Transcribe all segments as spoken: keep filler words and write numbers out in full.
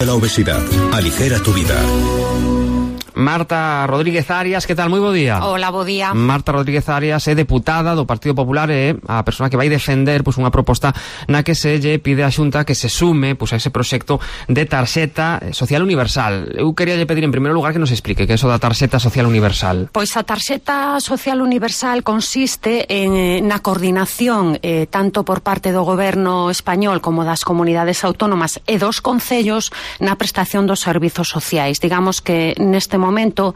la obesidad. Aligera tu vida. Marta Rodríguez Arias, que tal? Moi bo día. Hola, bo día. Marta Rodríguez Arias é deputada do Partido Popular e a persoa que vai defender pois, unha proposta na que se lle pide á Xunta que se sume pois, a ese proxecto de tarxeta social universal. Eu quería lle pedir en primeiro lugar que nos explique que é eso da tarxeta social universal. Pois a tarxeta social universal consiste en, na coordinación eh, tanto por parte do goberno español como das comunidades autónomas e dos concellos na prestación dos servizos sociais. Digamos que neste momento momento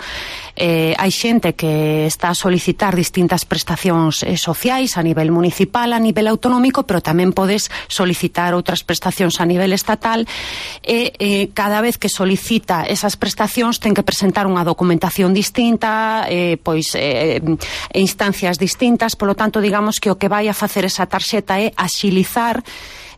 eh, hai xente que está a solicitar distintas prestacións eh, sociais a nivel municipal, a nivel autonómico, pero tamén podes solicitar outras prestacións a nivel estatal e eh, cada vez que solicita esas prestacións ten que presentar unha documentación distinta, eh, pois eh, instancias distintas, polo tanto digamos que o que vai a facer esa tarxeta é axilizar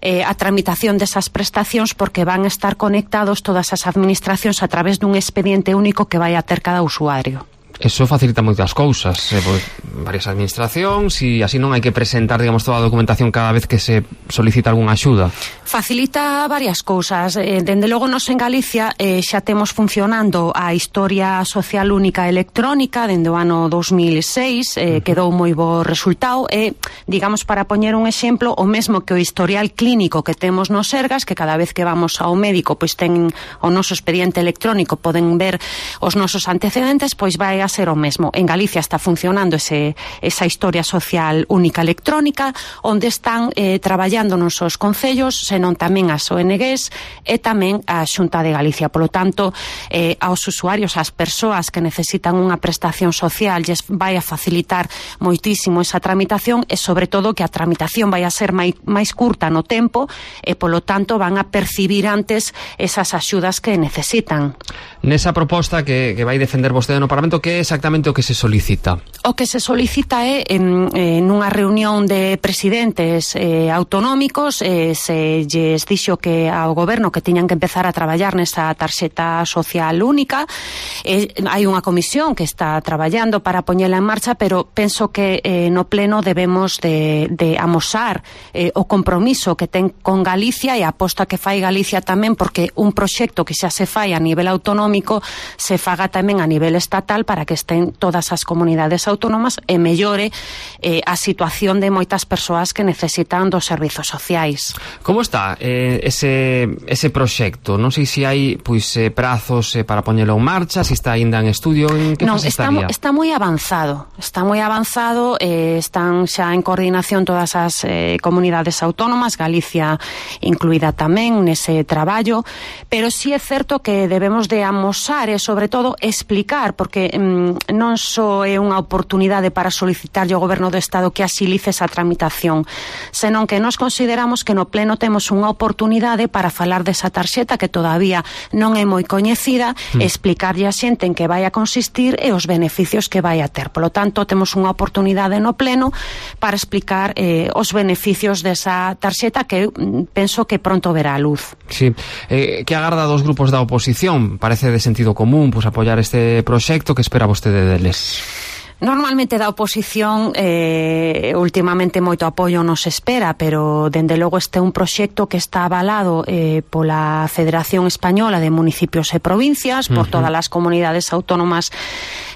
Eh, a tramitación desas prestacións porque van a estar conectados todas as administracións a través dun expediente único que vai a ter cada usuario. Eso facilita moitas cousas, eh, pues, varias administracións e así non hai que presentar, digamos, toda a documentación cada vez que se solicita algunha axuda. Facilita varias cousas. Eh, dende logo nos en Galicia eh, xa temos funcionando a historia social única electrónica dende o ano dos mil e seis, eh, uh -huh. quedou moi bo resultado e, digamos, para poñer un exemplo, o mesmo que o historial clínico que temos nos Sergas, que cada vez que vamos ao médico pois ten o noso expediente electrónico, poden ver os nosos antecedentes, pois vai a ser o mesmo. En Galicia está funcionando ese, esa historia social única electrónica onde están eh, traballando non só os concellos, senón tamén as O N Gs e tamén a Xunta de Galicia. Polo tanto, eh, aos usuarios, ás persoas que necesitan unha prestación social, lles vai a facilitar moitísimo esa tramitación e, sobre todo, que a tramitación vai a ser máis, máis curta no tempo e, polo tanto, van a percibir antes esas axudas que necesitan. Nesa proposta que, que vai defender vostede no Parlamento, que é exactamente o que se solicita? O que se solicita é en, en unha reunión de presidentes eh, autonómicos eh, se lles dixo que ao goberno que tiñan que empezar a traballar nesa tarxeta social única. Eh, hai unha comisión que está traballando para poñela en marcha, pero penso que eh, no pleno debemos de, de amosar eh, o compromiso que ten con Galicia e a aposta que fai Galicia tamén, porque un proxecto que xa se fai a nivel autonómico se faga tamén a nivel estatal para que estén todas as comunidades autónomas e mellore eh, a situación de moitas persoas que necesitan dos servizos sociais. Como está eh, ese, ese proxecto? Non sei se hai pois, eh, prazos eh, para poñelo en marcha, se está aínda en estudio, en que non, fase está, estaría? Está moi avanzado, está moi avanzado, eh, están xa en coordinación todas as eh, comunidades autónomas, Galicia incluída tamén nese traballo, pero sí é certo que debemos de amosar e, sobre todo, explicar, porque mm, non só é unha oportunidade para solicitarlle ao Goberno do Estado que axilice esa tramitación, senón que nos consideramos que no pleno temos unha oportunidade para falar desa tarxeta que todavía non é moi coñecida, mm. explicarlle a xente en que vai a consistir e os beneficios que vai a ter. Polo tanto, temos unha oportunidade no pleno para explicar eh, os beneficios desa tarxeta que mm, penso que pronto verá a luz. Sí. Eh, que agarda dos grupos da oposición? Parece de sentido común pues, apoiar este proxecto. Que espera vostede deles? Normalmente da oposición eh, últimamente moito apoio nos espera, pero dende logo este é un proxecto que está avalado eh, pola Federación Española de Municipios e Provincias, por uh -huh. todas as comunidades autónomas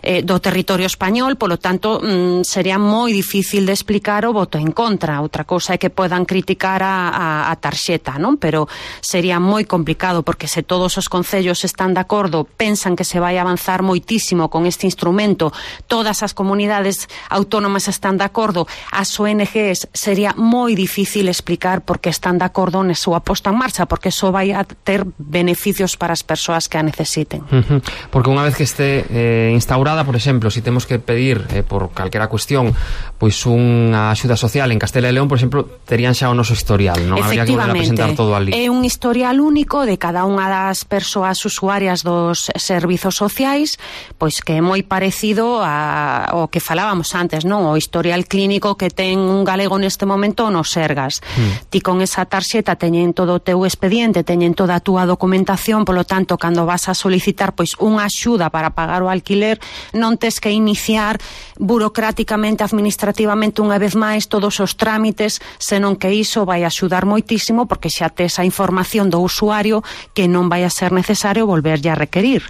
eh, do territorio español, polo tanto mm, sería moi difícil de explicar o voto en contra. Outra cousa é que podan criticar a, a, a tarxeta, non? Pero sería moi complicado, porque se todos os concellos están de acordo, pensan que se vai avanzar moitísimo con este instrumento, todas as comunidades autónomas están de acordo, as O N Gs, sería moi difícil explicar por que están de acordo na súa posta en marcha, porque iso vai a ter beneficios para as persoas que a necesiten. Uh -huh. Porque unha vez que este eh, instaurada, por exemplo, si temos que pedir eh, por calquera cuestión pois unha axuda social en Castela e León, por exemplo, terían xa o noso historial, non habría que volver a presentar todo ali. É un historial único de cada unha das persoas usuarias dos servizos sociais, pois que é moi parecido a a, o que falábamos antes, non? O historial clínico que ten un galego neste momento no Sergas. Mm. Ti con esa tarxeta teñen todo o teu expediente, teñen toda a túa documentación, polo tanto, cando vas a solicitar pois unha axuda para pagar o alquiler, non tes que iniciar burocráticamente, administrativamente unha vez máis todos os trámites, senón que iso vai axudar moitísimo porque xa tes a información do usuario que non vai a ser necesario volverlle a requerir.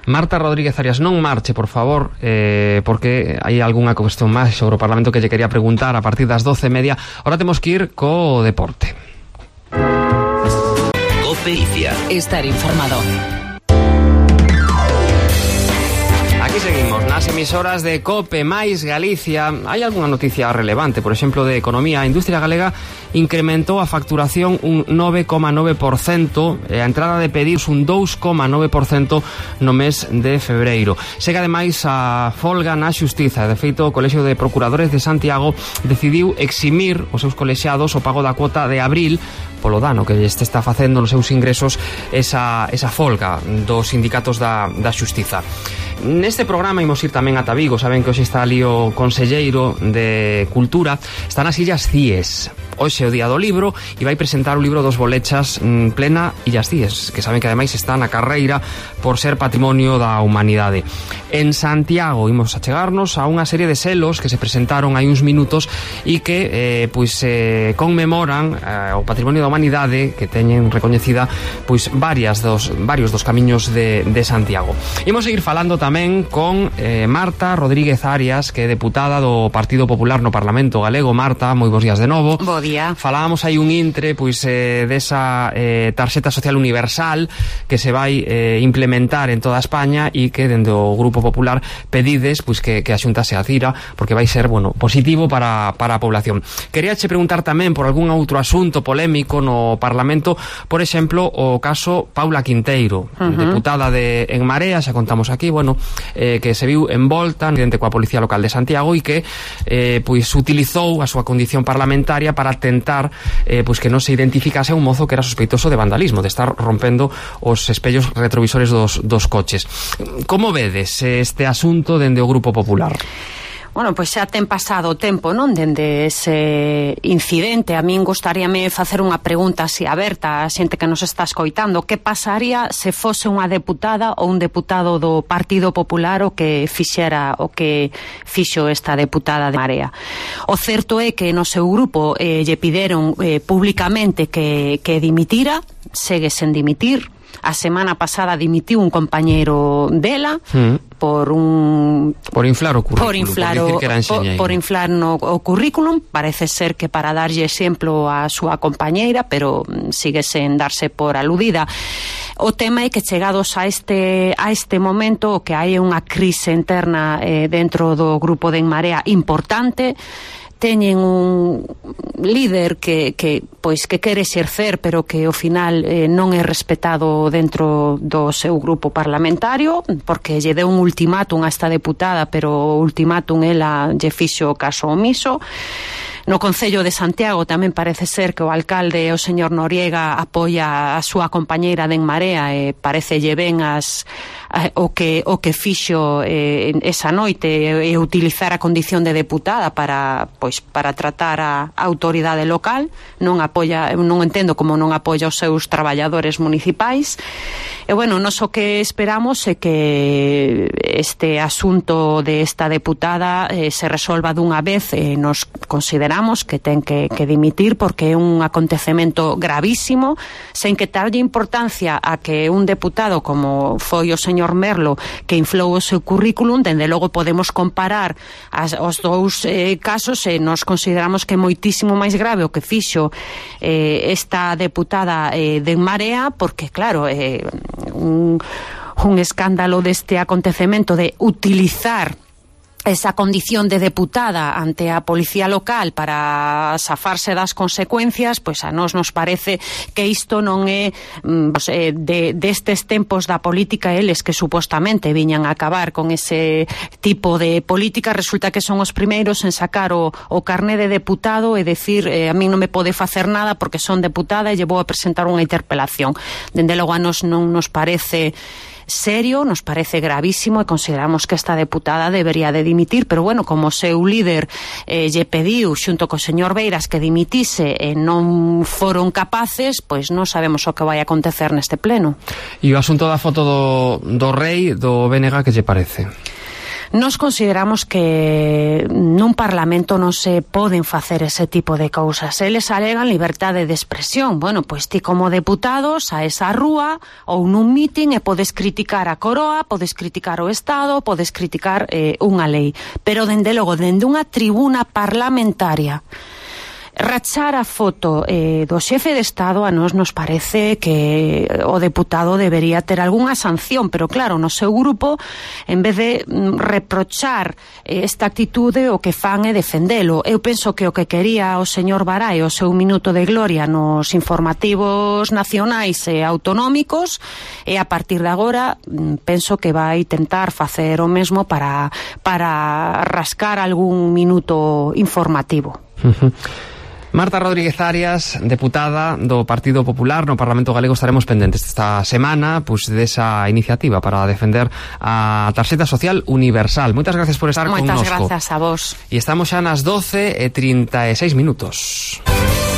Marta Rodríguez Arias, non marche, por favor, eh, porque hai algunha cuestión máis sobre o Parlamento que lle quería preguntar a partir das doce e media. Ahora temos que ir co deporte. Copelicia. Estar informado. Aquí seguimos nas emisoras de Cope máis Galicia. Hai algunha noticia relevante, por exemplo, de economía. A industria galega incrementou a facturación un nove coma nove por cento e a entrada de pedidos un dous coma nove por cento no mes de febreiro. Segue ademais a folga na xustiza. De feito, o Colexio de Procuradores de Santiago decidiu eximir os seus colexiados o pago da cuota de abril polo dano que este está facendo nos seus ingresos esa, esa folga dos sindicatos da, da xustiza. Neste programa imos ir tamén ata Vigo. Saben que hoxe está ali o conselleiro de Cultura. Está nas Illas Cíes. Hoxe é o día do libro e vai presentar o libro dos Bolechas en plena Illas Cíes, que saben que ademais está na carreira por ser patrimonio da humanidade. En Santiago imos a chegarnos a unha serie de selos que se presentaron hai uns minutos e que eh, pois eh, conmemoran eh, o patrimonio da humanidade, que teñen recoñecida pois varias dos varios dos camiños de, de Santiago. Imos seguir falando tamén con eh, Marta Rodríguez Arias, que é deputada do Partido Popular no Parlamento Galego. Marta, moi bons días de novo. Bo día. Falábamos aí un intre pois eh, desa eh, tarxeta social universal que se vai eh, implementar en toda España e que dende o Grupo Popular pedides pois que, que a Xunta se adira porque vai ser, bueno, positivo para, para a población. Quería che preguntar tamén por algún outro asunto polémico no Parlamento, por exemplo, o caso Paula Quinteiro, uh-huh. deputada de En Marea, xa contamos aquí, bueno, eh, que se viu envolta no incidente coa Policía Local de Santiago e que eh, pois utilizou a súa condición parlamentaria para tentar eh, pois que non se identificase a un mozo que era sospeitoso de vandalismo, de estar rompendo os espellos retrovisores dos, dos coches. Como vedes este asunto dende o Grupo Popular? Bueno, pois xa ten pasado o tempo, non, dende ese incidente. A min gustaríame facer unha pregunta así aberta a xente que nos está escoitando. Que pasaría se fose unha deputada ou un deputado do Partido Popular o que fixera o que fixo esta deputada de Marea? O certo é que no seu grupo eh, lle pideron eh, públicamente que, que dimitira, segue sen dimitir. A semana pasada dimitiu un compañeiro dela mm. por un por inflar o currículum, por inflar, por, o, por, por inflar no, o currículum. Parece ser que para darlle exemplo á súa compañeira, pero sigue sen darse por aludida. O tema é que chegados a este a este momento o que hai unha crise interna eh, dentro do grupo de En Marea importante. Teñen un líder que, que pois que quere exercer, pero que ao final eh, non é respetado dentro do seu grupo parlamentario, porque lle deu un ultimátum a esta deputada, pero o ultimátum ela lle fixo caso omiso. No Concello de Santiago tamén parece ser que o alcalde, o señor Noriega, apoia a súa compañeira de En Marea e parecelle ben as o que o que fixo eh, esa noite e utilizar a condición de deputada para pois para tratar a autoridade local. Non apoia, non entendo como non apoia os seus traballadores municipais. E bueno, nós o que esperamos é que este asunto de esta deputada eh, se resolva dunha vez. Eh, nos consideramos que ten que, que dimitir porque é un acontecemento gravísimo, sen que darlle importancia a que un deputado como foi o señor Merlo, que inflou o seu currículum. Dende logo podemos comparar as, os dous eh, casos e nos consideramos que é moitísimo máis grave o que fixo eh, esta deputada eh, de En Marea, porque claro, eh, un, un escándalo deste acontecemento de utilizar esa condición de deputada ante a policía local para zafarse das consecuencias, pois a nós nos parece que isto non é pues, eh, de, destes tempos da política. Eles que supostamente viñan a acabar con ese tipo de política, resulta que son os primeiros en sacar o, o carné de deputado e decir eh, a mí non me pode facer nada porque son deputada e lle vou a presentar unha interpelación. Dende logo a nós non nos parece serio, nos parece gravísimo e consideramos que esta deputada debería de dimitir, pero bueno, como o seu líder eh, lle pediu xunto co señor Beiras que dimitise e non foron capaces, pois non sabemos o que vai acontecer neste pleno. E o asunto da foto do, do rei do B N G, que lle parece? Nos consideramos que nun parlamento non se poden facer ese tipo de cousas. Eles alegan liberdade de expresión. Bueno, pois ti como deputado saes á rúa ou nun mitin e podes criticar a coroa, podes criticar o Estado, podes criticar eh, unha lei. Pero, dende logo, dende unha tribuna parlamentaria, rachar a foto eh, do xefe de Estado, a nós nos parece que o deputado debería ter algunha sanción, pero claro, no seu grupo, en vez de mm, reprochar eh, esta actitude, o que fan é defendelo. Eu penso que o que quería o señor Barai, o seu minuto de gloria nos informativos nacionais e autonómicos, e a partir de agora mm, penso que vai tentar facer o mesmo para, para rascar algún minuto informativo. Uh-huh. Marta Rodríguez Arias, deputada do Partido Popular no Parlamento Galego. Estaremos pendentes esta semana pues, desa iniciativa para defender a tarxeta social universal. Moitas gracias por estar connosco. Moitas grazas a vos. E estamos xa nas doce e trinta e seis minutos.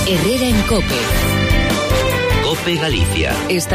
Herrera en COPE. COPE Galicia. Está